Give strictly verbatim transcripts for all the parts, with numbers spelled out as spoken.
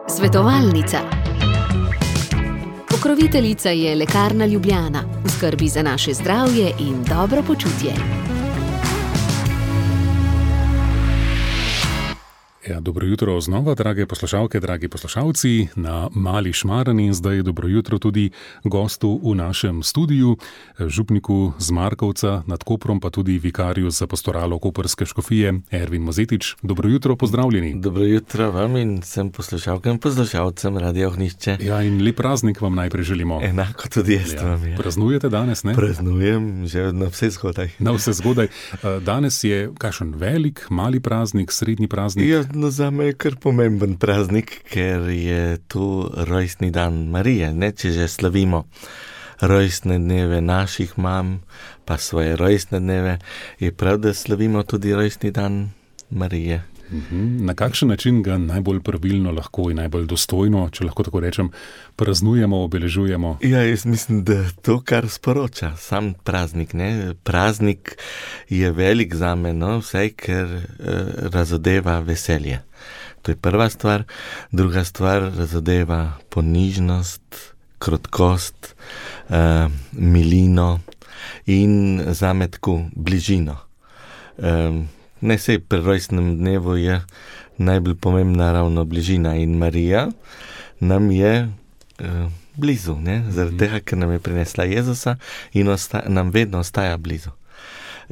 Svetovalnica. Pokroviteljica je Lekarna Ljubljana, v skrbi za naše zdravje in dobro počutje. Ja, dobro jutro znova, drage poslušalke, dragi poslušalci, na Mali Šmarni in zdaj dobro jutro tudi gostu v našem studiu, župniku z Markovca nad Koprom, pa tudi vikarju za pastoralo Koprske škofije, Ervin Mozetič. Dobro jutro, pozdravljeni. Dobro jutro vam in vsem poslušalkam in poslušalcem Radia Ognjišče. Ja, in lep praznik vam najprej želimo. Enako tudi jaz ja. vam je. Praznujete danes, ne? Praznujem, že na vse zgodaj. Na vse zgodaj. Danes je kakšen velik, mali praznik, srednji praznik? Ja, no, zame je kar pomemben praznik, ker je tu rojstni dan Marije, ne, če že slavimo rojstne dneve naših mam, pa svoje rojstne dneve, je prav, da slavimo tudi rojstni dan Marije. Na kakšen način ga najbolj pravilno lahko in najbolj dostojno, če lahko tako rečem, praznujemo, obeležujemo? Ja, jaz mislim, da to, kar sporoča sam praznik, ne, praznik je velik zame, no, vsaj, ker eh, razodeva veselje. To je prva stvar. Druga stvar razodeva ponižnost, krotkost, eh, milino in zame tako bližino. Eh, Ne sej pri rojstnem dnevu je najbolj pomembna ravno bližina in Marija nam je uh, blizu, ne? Zaradi tega, ker nam je prinesla Jezusa in osta- nam vedno ostaja blizu.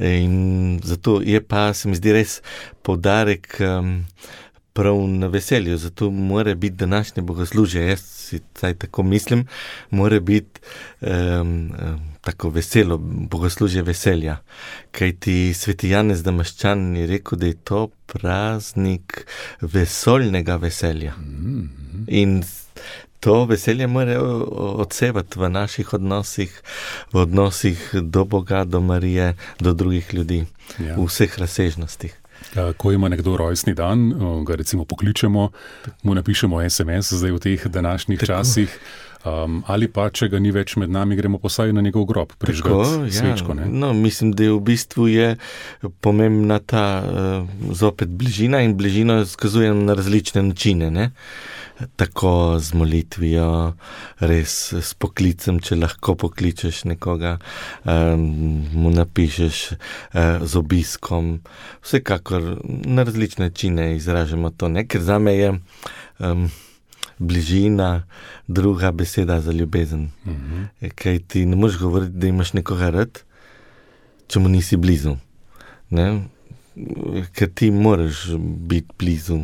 In zato je pa, se mi zdi, res poudarek um, prav na veselju, zato mora biti današnje bogoslužje, jaz si taj tako mislim, mora biti um, um, tako veselo, bogoslužje veselja. Kajti sveti Janez Damaščan je rekel, da je to praznik vesoljnega veselja. Mm-hmm. In to veselje mora odsevati v naših odnosih, v odnosih do Boga, do Marije, do drugih ljudi, ja. V vseh razsežnostih. Ko ima nekdo rojstni dan, ga recimo pokličemo, mu napišemo es em es zdaj v teh današnjih tako. časih, um, ali pa, če ga ni več med nami, gremo posaj na njegov grob, prižgati svečko. Ne? No, mislim, da je v bistvu je pomembna ta uh, zopet bližina in bližino skazujem na različne načine, ne? Tako z molitvijo, res s poklicem, če lahko pokličeš nekoga, um, mu napišeš uh, z obiskom, vsekakor na različne načine izražamo to, ne? Ker zame je um, bližina druga beseda za ljubezen. Uh-huh. Kaj ti ne moreš govoriti, da imaš nekoga rad, če mu nisi blizu, ne? Ker ti moraš biti blizu,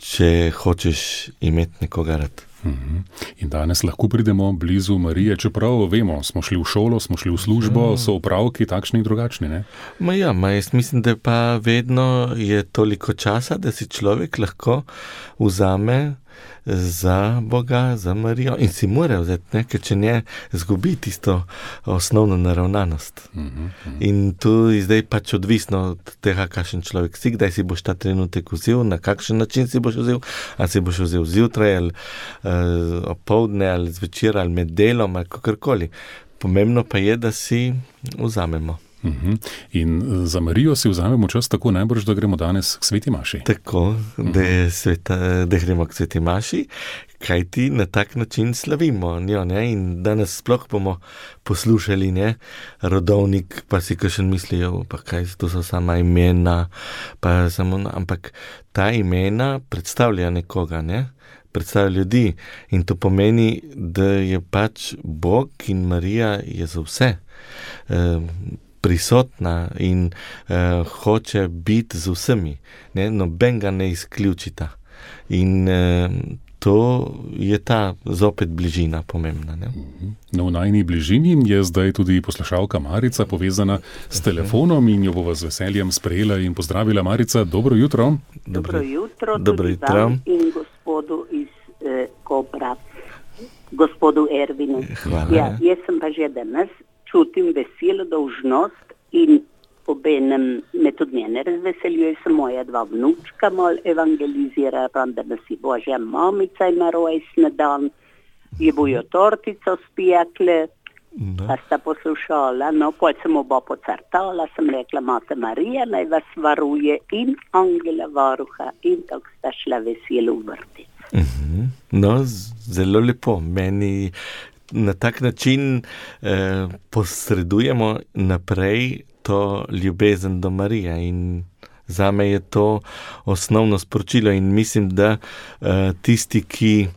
če hočeš imeti nekoga rad. Uhum. In danes lahko pridemo blizu Marije, čeprav vemo, smo šli v šolo, smo šli v službo, so opravki takšni in drugačni, ne? Ma ja, ma jaz mislim, da pa vedno je toliko časa, da si človek lahko vzame za Boga, za Marijo in si mora vzeti, ne? Ker če ne, zgubi tisto osnovno naravnanost. Uhum, uhum. In tu je zdaj pač odvisno od tega, kakšen človek si, kdaj si boš ta trenutek vzel, na kakšen način si boš vzel, ali si boš vzel zjutraj, ali uh, opoldne, ali zvečer, ali med delom, ali kakorkoli. Pomembno pa je, da si vzamemo. Uhum. In za Marijo si vzamemo čas tako najbrž, da gremo danes k sveti maši. Tako, da, je sveta, da gremo k sveti maši, kajti na tak način slavimo njo, ne? In danes sploh bomo poslušali, ne? Rodovnik, pa si kakšen mislijo, pa kaj, to so sama imena, pa samo, ampak ta imena predstavlja nekoga, ne? Predstavlja ljudi in to pomeni, da je pač Bog in Marija je za vse um, prisotna in uh, hoče biti z vsemi, ne? Noben ga ne izključita. In uh, to je ta zopet bližina pomembna. Ne? No, v najni bližini je zdaj tudi poslušalka Marica povezana s telefonom in jo bova z veseljem sprejela in pozdravila. Marica, dobro jutro. Dobro jutro, dobro tudi jutro. Vam in gospodu iz eh, Kopra, gospodu Ervinu. Hvala. Ja, jaz sem pa že danes čutim veselo dolžnost in obenem me tudi njene razveseljuje, se moja dva vnučka mal evangelizira, da nas si Božja mamica ima rojstni dan, je bojo tortico spijekle, No. Pa sta poslušala, no, pol sem oba pocartala, sem rekla, Mate Marija naj vas varuje in angela varuha in tako sta šla veselo v vrtec. Uh-huh. No, zelo lepo. Meni na tak način eh, posredujemo naprej to ljubezen do Marije in zame je to osnovno sporočilo in mislim, da eh, tisti, ki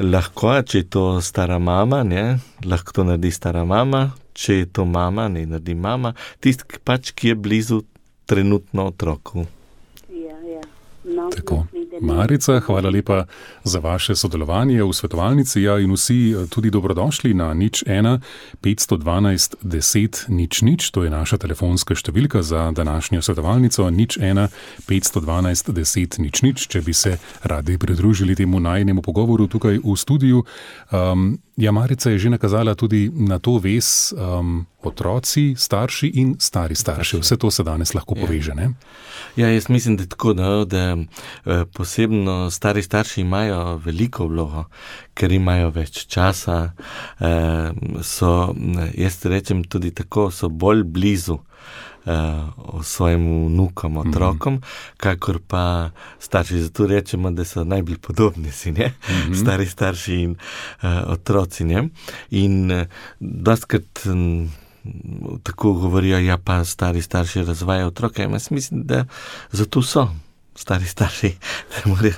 lahko, če je to stara mama, ne, lahko to naredi stara mama, če je to mama, ne naredi mama, tisti pač, ki je blizu trenutno otroku. Ja, ja. No, tako. Marica, hvala lepa za vaše sodelovanje v svetovalnici, ja, in vsi tudi dobrodošli na nič ena petsto dvanajst deset nič nič, to je naša telefonska številka za današnjo svetovalnico, nič ena petsto dvanajst deset nič nič, če bi se radi pridružili temu najnemu pogovoru tukaj v studiu. Um, ja, Marica je že nakazala tudi na to vez um, otroci, starši in stari starši. Vse to se danes lahko poveže, ne? Ja, jaz mislim, da je tako, da, da posebno stari starši imajo veliko vlogo, ker imajo več časa, so, jaz rečem tudi tako, so bolj blizu svojim vnukom, otrokom, mm-hmm. kakor pa starši. Zato rečemo, da so najbolj podobni si, ne? Mm-hmm. Stari starši in uh, otroci, ne? In uh, dostkrat um, tako govorijo, ja pa stari starši razvajajo otroke. Jaz mislim, da zato so stari starši, da morajo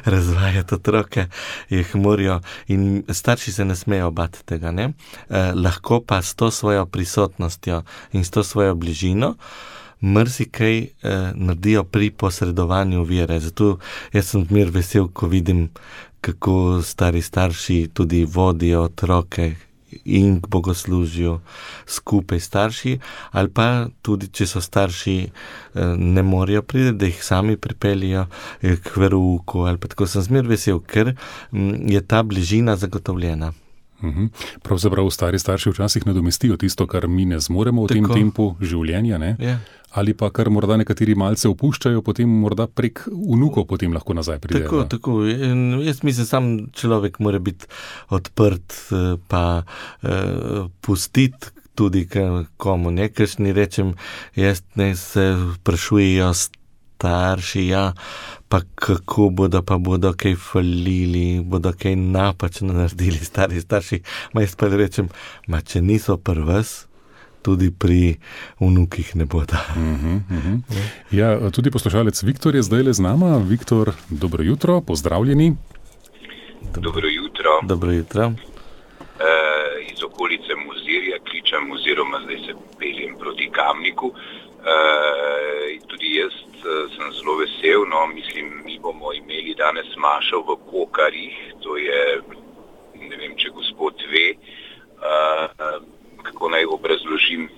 razvajati otroke, jih morajo in starši se ne smejo bati tega, ne? Eh, lahko pa s to svojo prisotnostjo in s to svojo bližino marsikaj eh, naredijo pri posredovanju vere. Zato jaz sem mir vesel, ko vidim, kako stari starši tudi vodijo otroke in k bogoslužju skupaj starši, ali pa tudi, če so starši ne morejo priti, da jih sami pripeljijo k verouku, ali pa tako sem zmer vesel, ker je ta bližina zagotovljena. Uhum. Pravzaprav stari starši včasih nadomestijo tisto, kar mi ne zmoremo v tako. Tem tempu življenja, ne? Yeah. Ali pa kar morda nekateri malce opuščajo, potem morda prek vnukov potem lahko nazaj pridejo. Tako, tako. Jaz mislim, sam človek mora biti odprt, pa uh, pustiti tudi komu, ne, kakšni rečem, jaz ne se vprašujejo starši, ja, pa kako bodo, pa bodo kaj falili, bodo kaj napačno naredili stari starši. Ma jaz pa rečem, ma če niso pri vas, tudi pri vnukih ne bodo. Uh-huh, uh-huh. Ja, tudi poslušalec Viktor je zdaj le z nama. Viktor, dobro jutro, pozdravljeni. Dobro jutro. Dobro jutro. E, iz okolice Mozirja kličem oziroma zdaj se peljem proti Kamniku. E, tudi jaz sem zelo vesel, no, mislim, mi bomo imeli danes mašo v Kokarjih, to je, ne vem, če gospod ve, uh, kako naj obrazložim,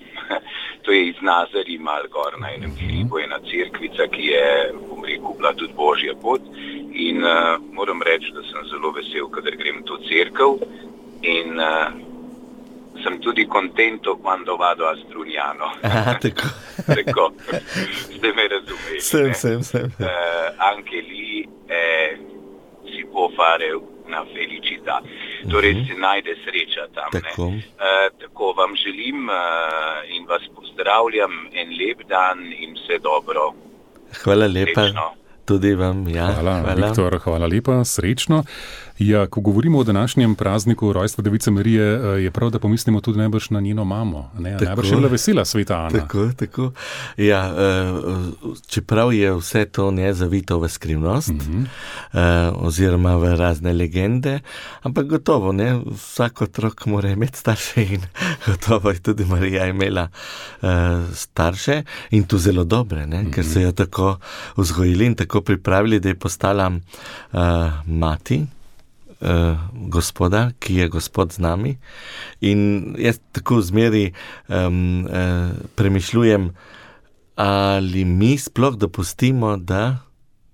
to je iz Nazarij mal gor na enem hribu, ena cerkvica, ki je, bom rekel, bila tudi Božja pot in uh, moram reči, da sem zelo vesel, kadar grem v to cerkev in uh, sem tudi contento quando vado a Strugnano. Ah, tako. Tako. Ste me razumeli. Sem, sem, sem. Uh, anche lì eh, si può fare una felicità. Torej se najde sreča tam. Tako. Ne? Uh, tako vam želim uh, in vas pozdravljam en lep dan in vse dobro. Hvala lepa. Srečno. Tudi vam, ja. Hvala, hvala. Viktor, hvala lepa, srečno. Ja, ko govorimo o današnjem prazniku rojstva Device Marije, je prav, da pomislimo tudi najbrž na njeno mamo. Ne? Najbrž je bila vesela sveta Ana. Tako, tako. Ja, čeprav je vse to ne zavito v skrivnost, mm-hmm. oziroma v razne legende, ampak gotovo, ne, vsak otrok mora imeti starše in gotovo je tudi Marija imela starše in to zelo dobre, ne, mm-hmm. ker so jo tako vzgojili in tako pripravili, da je postala mati Uh, gospoda, ki je gospod z nami. In jaz tako zmeri um, uh, premišljujem, ali mi sploh dopustimo, da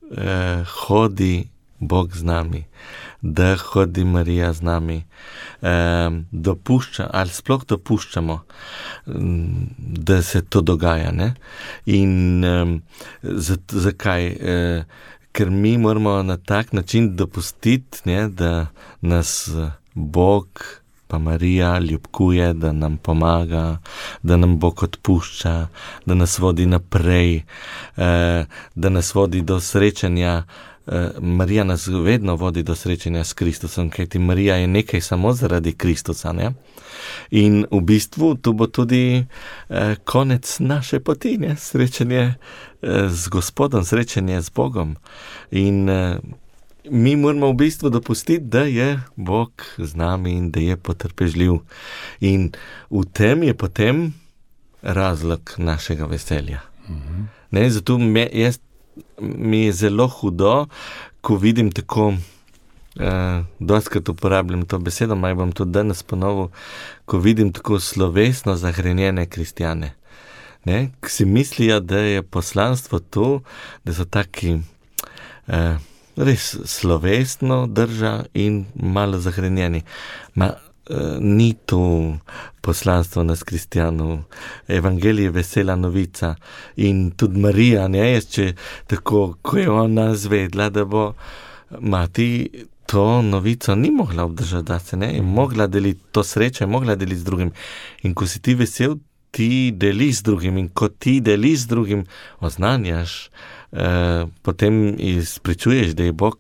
uh, hodi Bog z nami, da hodi Marija z nami. Um, dopušča, ali sploh dopuščamo, um, da se to dogaja, ne? In um, zakaj? Uh, Ker mi moramo na tak način dopustiti, ne, da nas Bog pa Marija ljubkuje, da nam pomaga, da nam Bog odpušča, da nas vodi naprej, da nas vodi do srečanja. Marija nas vedno vodi do srečanja s Kristusom, kajti Marija je nekaj samo zaradi Kristusa, ne? In v bistvu to bo tudi eh, konec naše poti, ne? Srečanje eh, z Gospodom, srečanje z Bogom. In eh, mi moramo v bistvu dopustiti, da je Bog z nami in da je potrpežljiv. In v tem je potem razlog našega veselja. Mhm. Ne, zato me, jaz, mi je zelo hudo, ko vidim tako, Uh, dostkrat uporabljam to besedo, maj bom to danes ponovil, ko vidim tako slovesno zahrenjene kristjane, ne, ki si mislijo, da je poslanstvo to, da so taki uh, res slovesno drža in malo zahrenjeni. Ma uh, ni to poslanstvo nas kristjanov. Evangelij je vesela novica in tudi Marija, ne, jaz, če tako, ko je ona zvedla, da bo mati to novico ni mogla obdržati, da se ne, je mogla deliti to srečo, je mogla deliti z drugim. In ko si ti vesel, ti deliš z drugim in ko ti deliš z drugim, oznanjaš, eh, potem izpričuješ, da je Bog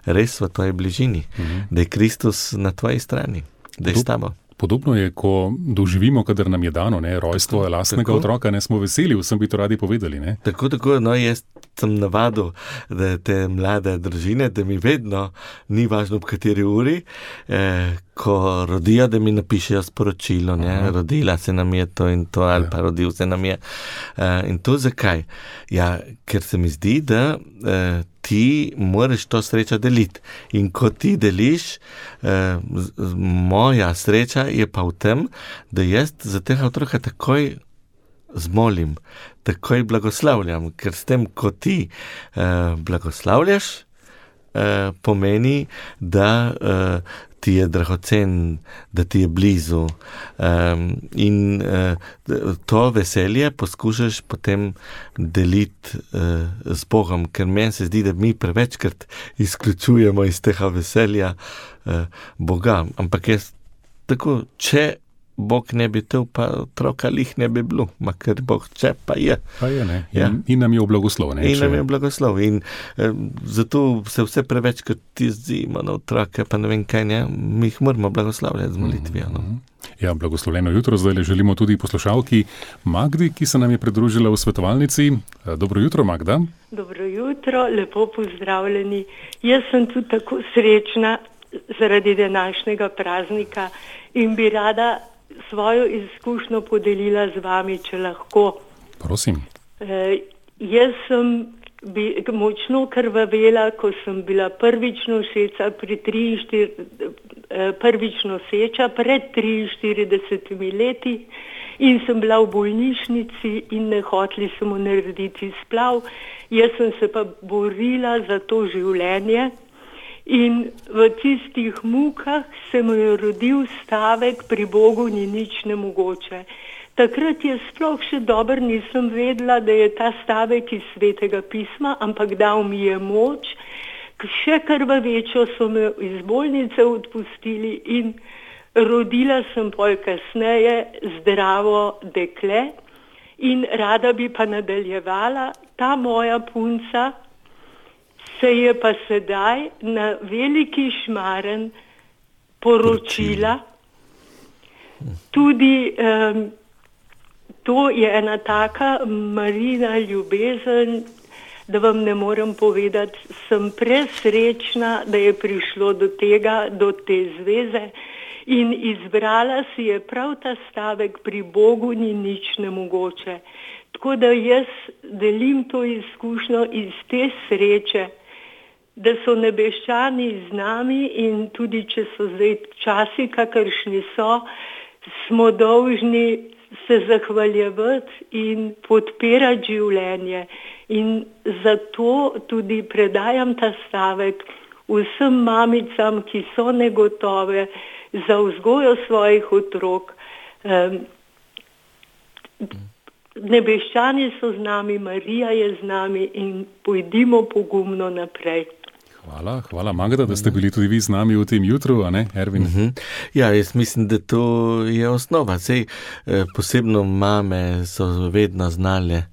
res v tvoji bližini, mhm. da je Kristus na tvoji strani, da je s tabo. Podobno je, ko doživimo, kadar nam je dano, ne, rojstvo lastnega tako, otroka, ne smo veseli, vsem bi to radi povedali, ne. Tako, tako, no, jaz sem navadil, da te mlade družine, da mi vedno, ni važno v kateri uri, eh, ko rodijo, da mi napišejo sporočilo, ne, aha, rodila se nam je to in to, ali ja. Pa rodil se nam je. Eh, in to zakaj? Ja, ker se mi zdi, da eh, ti moraš to srečo deliti. In ko ti deliš, eh, z, z, moja sreča je pa v tem, da jaz za tega otroka takoj zmolim, takoj blagoslavljam, ker s tem, ko ti eh, blagoslavljaš, eh, pomeni, da eh, ti je dragocen, da ti je blizu. Um, in uh, to veselje poskušaš potem deliti uh, z Bogom, ker meni se zdi, da mi prevečkrat izključujemo iz tega veselja uh, Boga. Ampak jaz tako, če Bog ne bi tel, pa otroka lih ne bi bilo, ma ker Bog če pa je. Pa je, ne. In, ja. in nam je v blagoslov, ne. In če... nam je v blagoslov. In eh, zato se vse preveč, kot ti zimo na otroke, pa ne vem kaj, ne, mi jih moramo blagoslavljati z molitvijo. No. Ja, blagoslovljeno jutro, zdaj le želimo tudi poslušalki Magdi, ki se nam je pridružila v svetovalnici. Dobro jutro, Magda. Dobro jutro, lepo pozdravljeni. Jaz sem tudi tako srečna zaradi današnjega praznika in bi rada svojo izkušnjo podelila z vami, če lahko. Prosim. E, jaz sem bi, močno krvavela, ko sem bila prvič noseča pri prvič noseča pred triinštiridesetimi leti in sem bila v bolnišnici in ne hoteli smo narediti splav. Jaz sem se pa borila za to življenje. In v tistih mukah se mu je rodil stavek, pri Bogu ni nič nemogoče. Takrat je sploh še dobro nisem vedela, da je ta stavek iz Svetega pisma, ampak dal mi je moč. Še krvavečo so me iz bolnice odpustili in rodila sem pol kasneje zdravo dekle in rada bi pa nadaljevala. Ta moja punca se je pa sedaj na Veliki Šmaren poročila. Tudi um, to je ena taka marina ljubezen, da vam ne morem povedati, sem presrečna, da je prišlo do tega, do te zveze in izbrala si je prav ta stavek, pri Bogu ni nič nemogoče. Tako da jaz delim to izkušnjo iz te sreče, da so nebeščani z nami in tudi, če so zdaj časi, kakršni so, smo dolžni se zahvaljevati in podpirati življenje. In zato tudi predajam ta stavek vsem mamicam, ki so negotove za vzgojo svojih otrok. Um, nebeščani so z nami, Marija je z nami in pojdimo pogumno naprej. Hvala, hvala Magda, da ste bili tudi vi z nami v tem jutru, a ne, Ervin? Uh-huh. Ja, jaz mislim, da to je osnova. Sej, eh, posebno mame so vedno znale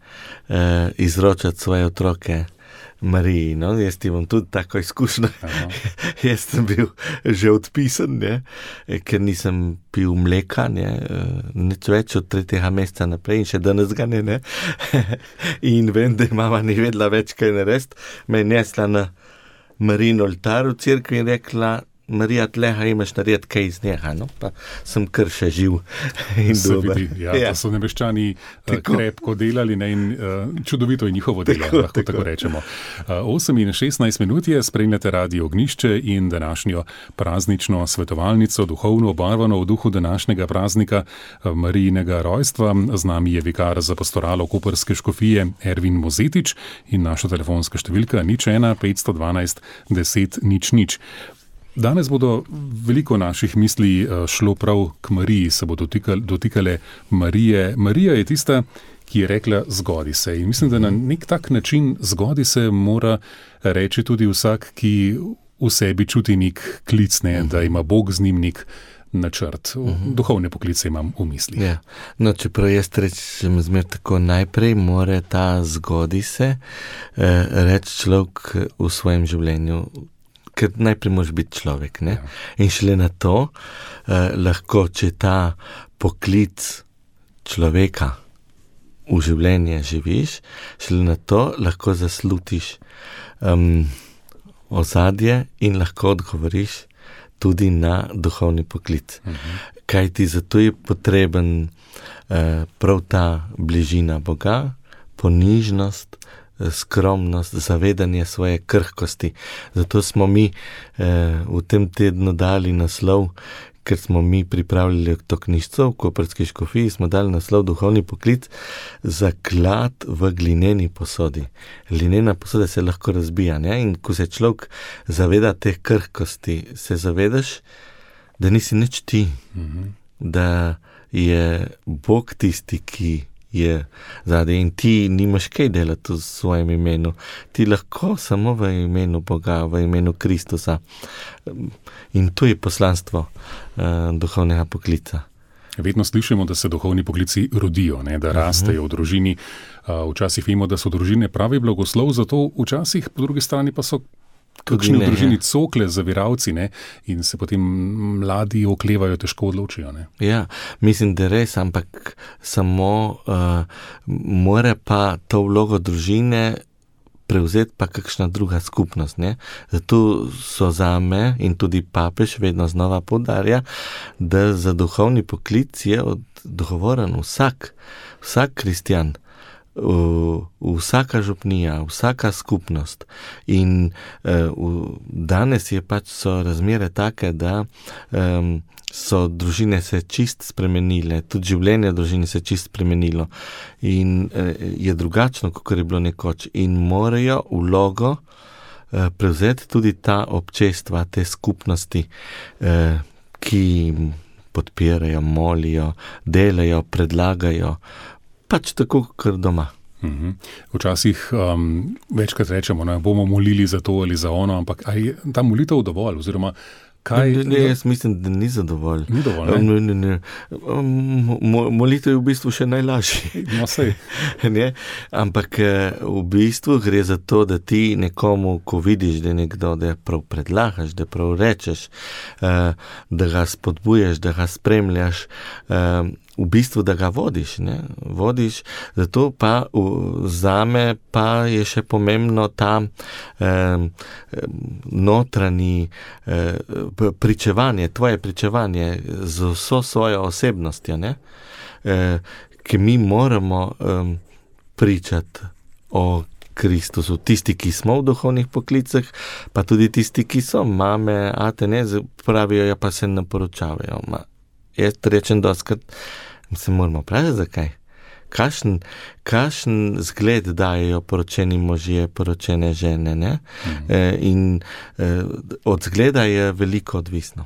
eh, izročati svoje otroke Mariji, no, jaz ti bom tudi tako izkušnja. Jaz sem bil že odpisan, ne, ker nisem pil mleka, ne, nič več od tretjega meseca naprej in še danes ga ne, ne. In vem, da mama ni vedela več kaj narediti, me je nesla na Marijin oltar v cerkvi in rekla: Marija, tleha imaš narediti kaj iz njega, no, pa sem kar še živ in dober. Ja, ja. To so nebeščani uh, krepko delali, ne, in uh, čudovito je njihovo delo, tako, lahko tako, tako rečemo. Uh, osem in šestnajst minut je, spremljate Radio Ognjišče in današnjo praznično svetovalnico, duhovno obarvano v duhu današnjega praznika uh, Marijinega rojstva. Z nami je vikar za pastoralo koprske škofije Ervin Mozetič in naša telefonska številka nič ena petsto dvanajst deset nič nič. Danes bodo veliko naših misli šlo prav k Mariji, se bodo dotikale, dotikale Marije. Marija je tista, ki je rekla zgodi se. In mislim, da na nek tak način zgodi se mora reči tudi vsak, ki v sebi čuti nek klic, ne, da ima Bog z njim nek načrt. Duhovne poklice imam v misli. Ja. No, čeprav jaz rečem zmer tako, najprej mora ta zgodi se eh, reči človek v svojem življenju, ker najprej moraš biti človek, ne? Ja. In šele na to eh, lahko, če ta poklic človeka v življenje živiš, šele na to lahko zaslutiš um, ozadje in lahko odgovoriš tudi na duhovni poklic. Uh-huh. Kaj ti zato je potreben eh, prav ta bližina Boga, ponižnost, skromnost, zavedanje svoje krhkosti. Zato smo mi eh, v tem tednu dali naslov, ker smo mi pripravljali to knjižico v koprski škofiji, smo dali naslov Duhovni poklic, zaklad v glineni posodi. Glinena posoda se lahko razbija, ne? In ko se človek zaveda teh krhkosti, se zavedaš, da nisi nič ti, mm-hmm. da je Bog tisti, ki je zadaj in ti nimaš kaj delati v svojem imenu. Ti lahko samo v imenu Boga, v imenu Kristusa. In to je poslanstvo uh, duhovnega poklica. Vedno slišimo, da se duhovni poklici rodijo, ne, da rastejo v družini. Uh, včasih vemo, da so družine pravi blagoslov, zato včasih po drugi strani pa so kakšni v družini cokle, zaviralci, ne, in se potem mladi oklevajo, težko odločijo. Ne. Ja, mislim, da res, ampak samo uh, mora pa to vlogo družine prevzeti pa kakšna druga skupnost. Ne. Zato so zame in tudi papež vedno znova poudarja, da za duhovni poklic je odgovoren vsak, vsak kristjan. V, vsaka župnija, vsaka skupnost in uh, v, danes je pač so razmere take, da um, so družine se čist spremenile, tudi življenje družine se čist spremenilo in uh, je drugačno, kot je bilo nekoč in morajo vlogo uh, prevzeti tudi ta občestva, te skupnosti, uh, ki podpirajo, molijo, delajo, predlagajo, pač tako, kar doma. Uhum. Včasih um, večkrat rečemo, ne, bomo molili za to ali za ono, ampak aj ta molitev dovolj, oziroma kaj... Ne, ne, jaz mislim, da ni zadovolj. Ni dovolj, ne? Ne, ne, ne. Mo, molitev je v bistvu še najlažji. No, sej. Ne? Ampak v bistvu gre za to, da ti nekomu, ko vidiš, da nekdo, da prav predlagaš, da prav rečeš, da ga spodbujaš, da ga spremljaš, v bistvu, da ga vodiš, ne, vodiš, zato pa v, zame pa je še pomembno ta eh, notranji eh, pričevanje, tvoje pričevanje z vso svojo osebnostjo, ne, eh, ki mi moramo eh, pričati o Kristusu, tisti, ki smo v duhovnih poklicah, pa tudi tisti, ki so mame, ate, ne, pravijo, ja pa se ne poročavajo, ma. Jaz rečem doskrat, se moramo vprašati, zakaj. Kakšen, kakšen zgled dajejo poročeni možje, poročene žene, ne? Mhm. E, in e, od zgleda je veliko odvisno.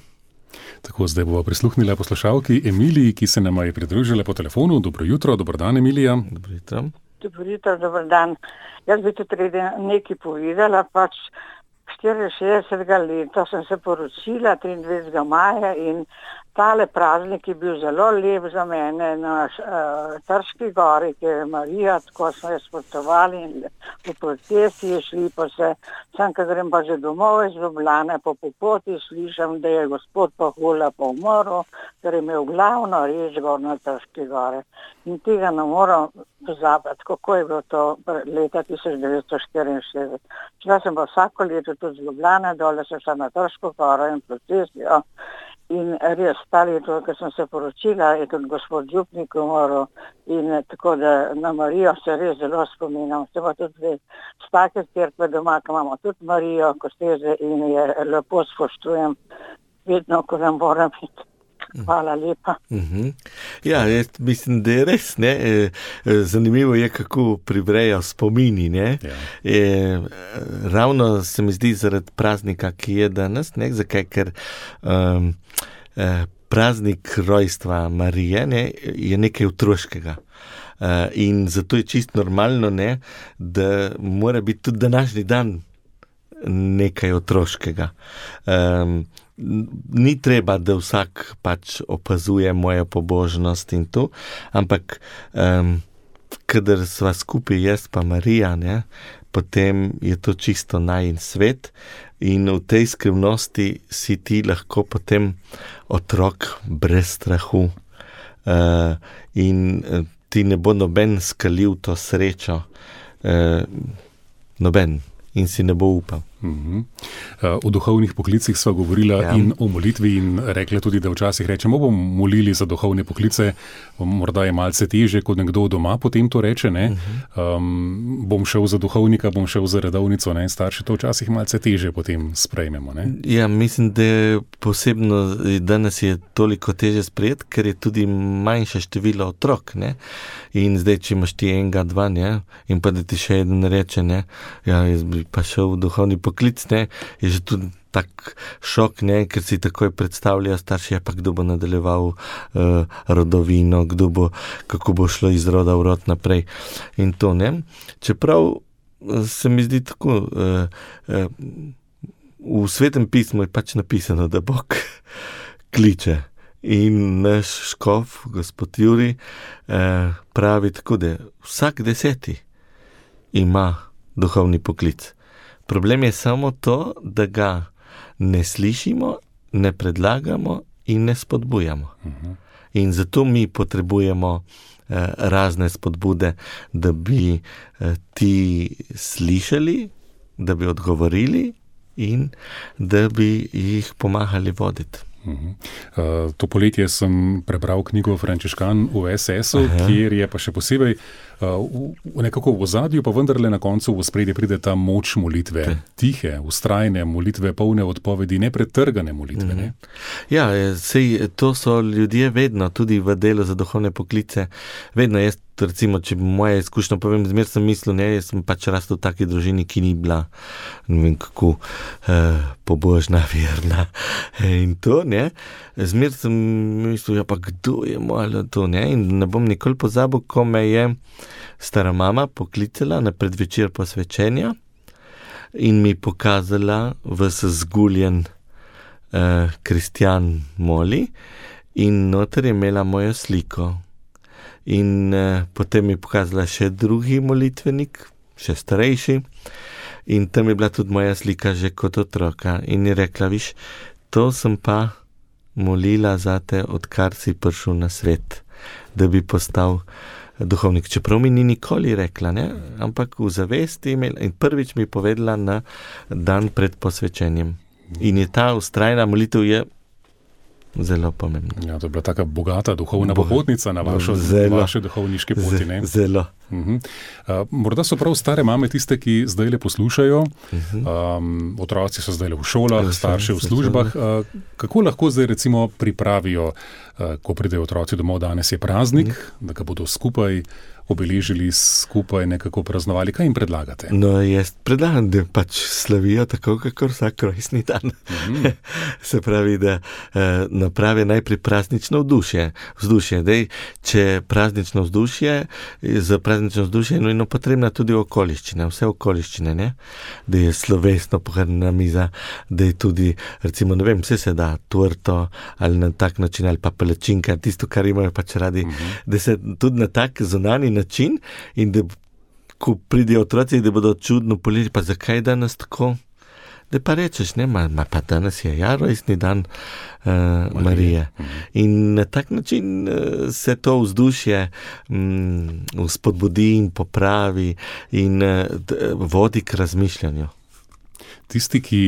Tako, zdaj bova prisluhnila poslušalki Emiliji, ki se nama je pridružila po telefonu. Dobro jutro, dober dan, Emilija. Dobro jutro. Dobro jutro, dober dan. Jaz bi tudi nekaj povedala, pač štiriinšestdesetega leta sem se poročila, triindvajsetega maja, in tale praznik je bil zelo lep za mene na uh, Trški gori, ki je Marija, tako smo jo spoštovali in v protesti je šli pa se, sem, ko grem pa že domov iz Ljubljane, po popoti slišam, da je gospod Pahula pa umrl, ker je imel glavno reč gor na Trški gori. In tega ne moram pozabiti, kako je bilo to leta tisoč devetsto štiriinšestdeset. Šla sem pa vsako leto tudi z Ljubljane, dole sem šla na Trško goro in protestijo. In res, ta leto, ko sem se poročila, je tudi gospod župnik umrl in tako da na Marijo se res zelo spominjam. Se pa tudi dve stake cerkve doma, ko imamo tudi Marijo Kosteze in je lepo spoštujem vedno, ko nam moram biti. Hvala lepa. Uh-huh. Ja, jaz mislim, da je res, ne, zanimivo je, kako privrejo spomini, ne. Ja. E, ravno se mi zdi zaradi praznika, ki je danes, ne, zakaj, ker um, eh, praznik rojstva Marije, ne, je nekaj otroškega. Uh, in zato je čisto normalno, ne, da mora biti tudi današnji dan nekaj otroškega. Um, Ni treba, da vsak pač opazuje mojo pobožnost in to, ampak um, kadar sva skupaj jaz pa Marija, ne, potem je to čisto najin svet in v tej skrivnosti si ti lahko potem otrok brez strahu uh, in uh, ti ne bo noben skalil to srečo, uh, noben in si ne bo upal. Mm-hmm. O duhovnih poklicih sva govorila ja. in o molitvi in rekla tudi, da včasih rečemo, bomo molili za duhovne poklice, morda je malce teže, kot nekdo doma potem to reče, ne. Mm-hmm. Um, bom šel za duhovnika, bom šel za redovnico, ne, starši to včasih malce teže potem sprejmemo, ne. Ja, mislim, da je posebno danes je toliko teže sprejeti, ker je tudi manjše število otrok, ne. In zdaj, če imaš ti enega, dva, ne, in pa da ti še eden reče, ne, ja, jaz bi pa šel v duhovni poklic, ne, je že tudi tak šok, ne, ker si takoj predstavljajo starši, pa kdo bo nadaljeval uh, rodovino, kdo bo, kako bo šlo iz roda v rod naprej in to, ne. Čeprav se mi zdi tako, uh, uh, v Svetem pismu je pač napisano, da Bog kliče in naš škof, gospod Juri, uh, pravi tako, da vsak deseti ima duhovni poklic. Problem je samo to, da ga ne slišimo, ne predlagamo in ne spodbujamo. Uh-huh. In zato mi potrebujemo eh, razne spodbude, da bi eh, ti slišali, da bi odgovorili in da bi jih pomagali voditi. Uh-huh. Uh, to poletje sem prebral knjigo Frančiškan v es esu, Aha. kjer je pa še posebej uh, v, v nekako v ozadju, pa vendarle na koncu v ospredje pride ta moč molitve. Te. Tihe, vztrajne molitve, polne odpovedi, nepretrgane molitve. Uh-huh. Ne? Ja, sej, to so ljudje vedno, tudi v delu za duhovne poklice, vedno jaz, recimo, če moje izkušnje povem, zmer sem mislil, ne, jaz sem pač rastel v taki družini, ki ni bila, ne vem kako, uh, pobožna, verna in to, ne. Zmer sem mislil, ja pa kdo je malo to, ne, in ne bom nikoli pozabil, ko me je stara mama poklicala na predvečer posvečenja in mi pokazala ves zguljen uh, kristjan moli in noter je imela mojo sliko. In uh, potem mi je pokazala še drugi molitvenik, še starejši, in tam je bila tudi moja slika že kot otroka. In je rekla, viš, to sem pa molila zate, odkar si prišel na svet, da bi postal duhovnik. Čeprav mi ni nikoli rekla, ne? Ampak v zavesti imela in prvič mi je povedala na dan pred posvečenjem. In je ta vztrajna molitev je zelo pomembno. Ja, to je bila taka bogata duhovna Bo, popotnica na vašo, vaše duhovniške poti, ne? Zelo. Uh-huh. Uh, morda so prav stare mame tiste, ki zdaj le poslušajo, uh-huh. um, otroci so zdaj le v šolah, ja, starši v službah. Uh, kako lahko zdaj recimo pripravijo, uh, ko pridejo otroci domov, danes je praznik, uh-huh. da ga bodo skupaj obeležili, skupaj nekako praznovali. Kaj jim predlagate? No, jaz predlagam, da pač slavijo tako, kakor vsak rojstni dan. Mm-hmm. Se pravi, da eh, napravi najprej praznično vzdušje. vzdušje. Dej, če praznično vzdušje, za praznično praznično vzdušje je nujno potrebna tudi okoliščina, vse okoliščine, ne? Da je slovesno pohrnjena miza, da je tudi, recimo, ne vem, vse se da, torto ali na tak način, ali pa palačinka, tisto, kar imajo pač radi, mm-hmm. da se tudi na tak zunanji način in da ko pridejo otroci, da bodo čudno polili, pa zakaj danes tako? Da pa rečeš, ne, ma, ma pa danes je ja rojstni dan uh, Marije. Marije. Mm-hmm. In na tak način uh, se to vzdušje um, spodbudi in popravi in uh, d, vodi k razmišljanju. Tisti, ki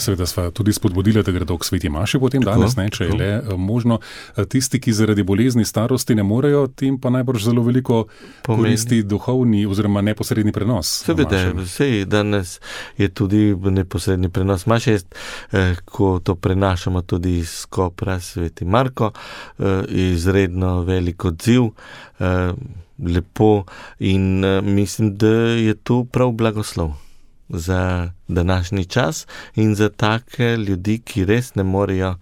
seveda sva tudi spodbudila, da gredo k sveti maši potem tako, danes, ne, če tako. Je le možno, tisti, ki zaradi bolezni starosti ne morejo, tem pa najbrž zelo veliko pomeni. Koristi duhovni oziroma neposredni prenos. Seveda, sej danes je tudi neposredni prenos maše, eh, ko to prenašamo tudi iz Kopra, sveti Marko, eh, izredno velik odziv, eh, lepo in eh, mislim, da je to prav blagoslov za današnji čas in za take ljudi, ki res ne morejo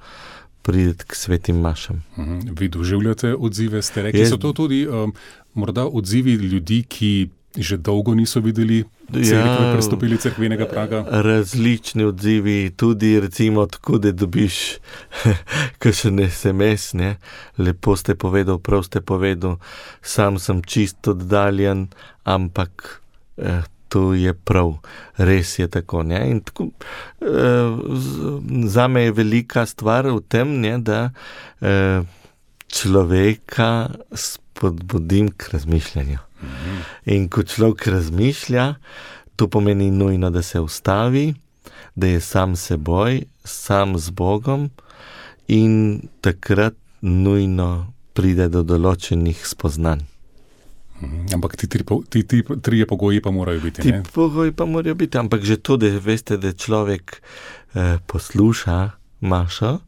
priti k svetim mašam. Mhm. Vi doživljate odzive, ste rekli, je, so to tudi um, morda odzivi ljudi, ki že dolgo niso videli cerkve, ja, prestopili cerkvenega praga? Različni odzivi, tudi recimo tako, da dobiš kakšen es em es, ne, lepo ste povedal, prav ste povedal, sam sem čisto oddaljen, ampak eh, to je prav, res je tako, ne, in tako, eh, zame je velika stvar v tem, ne, da eh, človeka spodbudim k razmišljanju. Mm-hmm. In ko človek razmišlja, to pomeni nujno, da se ustavi, da je sam seboj, sam z Bogom in takrat nujno pride do določenih spoznanj. Ampak ti, tri, ti, ti trije pogoji pa morajo biti, ti ne? Ti pogoji pa morajo biti, ampak že to, da veste, da človek eh, posluša mašo,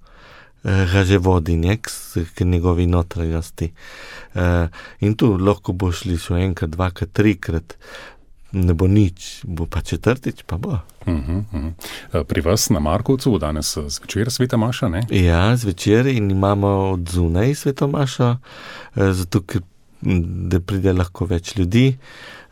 eh, ga že vodi nek k njegovi notranjosti. Eh, in tu lahko bo šli še enkrat, dvakrat, trikrat, ne bo nič, bo pa četrtič, pa bo. Uh-huh, uh-huh. Pri vas na Markovcu bo danes zvečer sveta maša, ne? Ja, zvečer in imamo od zunaj sveto mašo, eh, zato ker da pride lahko več ljudi,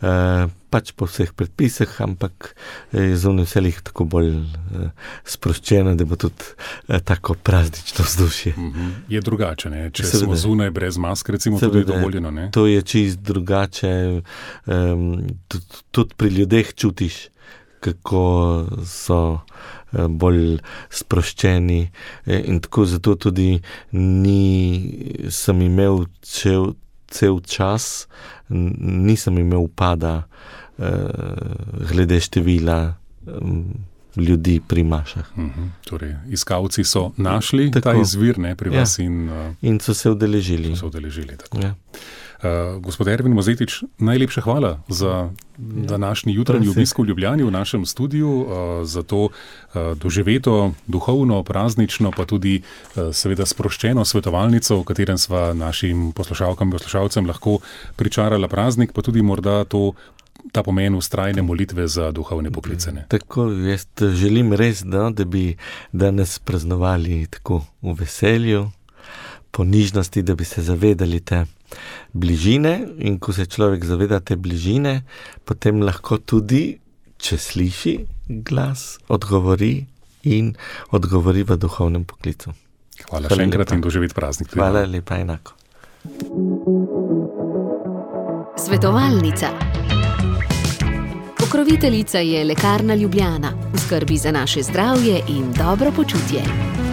eh, pač po vseh predpisih, ampak je zunaj vselih tako bolj eh, sproščeno, da bo tudi eh, tako praznično vzdušje. Mm-hmm. Je drugače, ne? Če Seveda. Smo zunaj brez mask, recimo, Seveda. Tudi je dovoljeno, ne? To je čist drugače, um, tudi, tudi pri ljudeh čutiš, kako so eh, bolj sproščeni eh, in tako zato tudi ni, sem imel čel cel čas, nisem imel upada eh, glede števila eh, ljudi pri mašah. Mm-hmm. Torej, iskalci so našli tako. Ta izvir, ne, pri vas ja. in, uh, in so se udeležili. So se udeležili, tako. Ja. Uh, gospod Ervin Mozetič, najlepša hvala za ja. današnji jutranji obisk v Ljubljani v našem studiu, uh, za to uh, doživeto, duhovno, praznično, pa tudi uh, seveda sproščeno svetovalnico, v katerem sva našim poslušalkam in poslušalcem lahko pričarala praznik, pa tudi morda to, ta pomen vztrajne molitve za duhovne poklicane. Tako, jaz želim res, da, da bi danes praznovali tako v veselju, po nižnosti, da bi se zavedali te bližine in ko se človek zaveda te bližine, potem lahko tudi, če sliši glas, odgovori in odgovori v duhovnem poklicu. Hvala, Hvala še enkrat in doživeti praznik. Hvala lepa, enako. Svetovalnica. Pokroviteljica je Lekarna Ljubljana, v skrbi za naše zdravje in dobro počutje.